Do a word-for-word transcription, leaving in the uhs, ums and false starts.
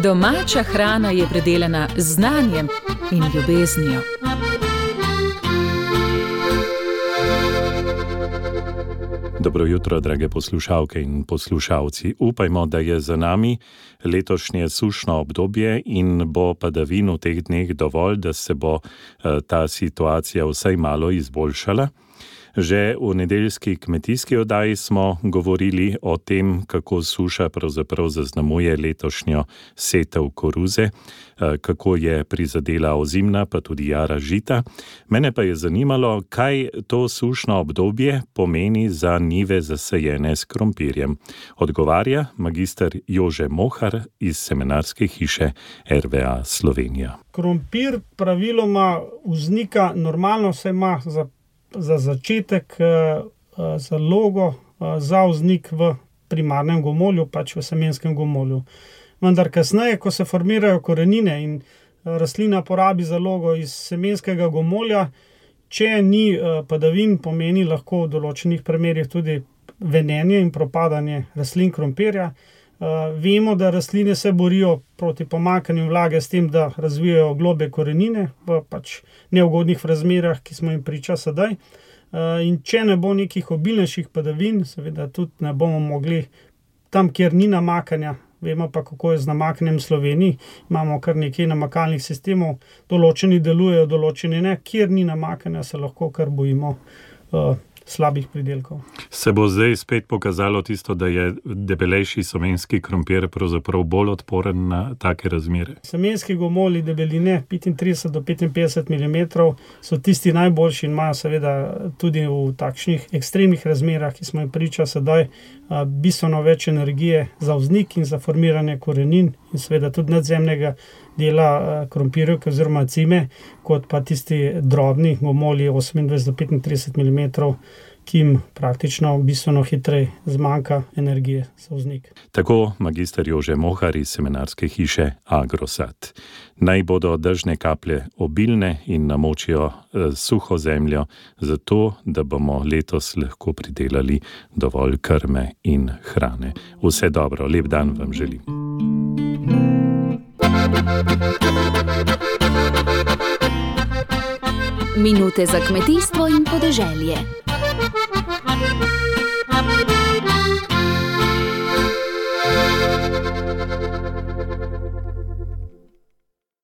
Domača hrana je predelana z znanjem in ljubeznijo. Dobro jutro, drage poslušalke in poslušalci. Upajmo, da je za nami letošnje sušno obdobje in bo padavin v teh dneh dovolj, da se bo ta situacija vsaj malo izboljšala. Že v nedeljski kmetijski oddaji smo govorili o tem, kako suša pravzaprav zaznamuje letošnjo setev koruze, kako je prizadela ozimna, pa tudi jara žita. Mene pa je zanimalo, kaj to sušno obdobje pomeni za njive zasajene s krompirjem. Odgovarja magister Jože Mohar iz semenarske hiše R V A Slovenija. Krompir praviloma vznika normalno, se ima za za začetek zalogo za vznik v primarnem gomolju, pač v semenskem gomolju. Vendar kasneje, ko se formirajo korenine in rastlina porabi zalogo iz semenskega gomolja, če ni padavin, pomeni lahko v določenih primerih tudi venenje in propadanje rastlin krompirja. Vemo, da rastline se borijo proti pomanjkanju vlage s tem, da razvijajo globlje korenine v pač neugodnih razmerah, ki smo jim priča sedaj. In če ne bo nekih obilnejših padavin, seveda tudi ne bomo mogli tam, kjer ni namakanja, vemo pa, kako je z namakanjem v Sloveniji, imamo kar nekaj namakalnih sistemov, določeni delujejo, določeni ne, kjer ni namakanja, se lahko kar bojimo uh, slabih pridelkov. Se bo zdaj spet pokazalo tisto, da je debelejši semenski krompir pravzaprav bolj odporen na take razmere? Semenski gomolji debeline petintrideset do petinpetdeset milimetrov so tisti najboljši in imajo seveda tudi v takšnih ekstremnih razmerah, ki smo jim priča sedaj, bistveno več energije za vznik in za formiranje korenin in seveda tudi nadzemnega dela krompirjevke oziroma cime, kot pa tisti drobni gomolji osemindvajset do petintrideset milimetrov, ki jim praktično bistveno hitreje zmanjka energije za vznik. Tako magister Jože Mohar iz semenarske hiše Agrosad. Naj bodo dežne kaplje obilne in namočijo eh, suho zemljo, zato da bomo letos lahko pridelali dovolj krme in hrane. Vse dobro, lep dan vam želim. Minute za kmetijstvo in podeželje.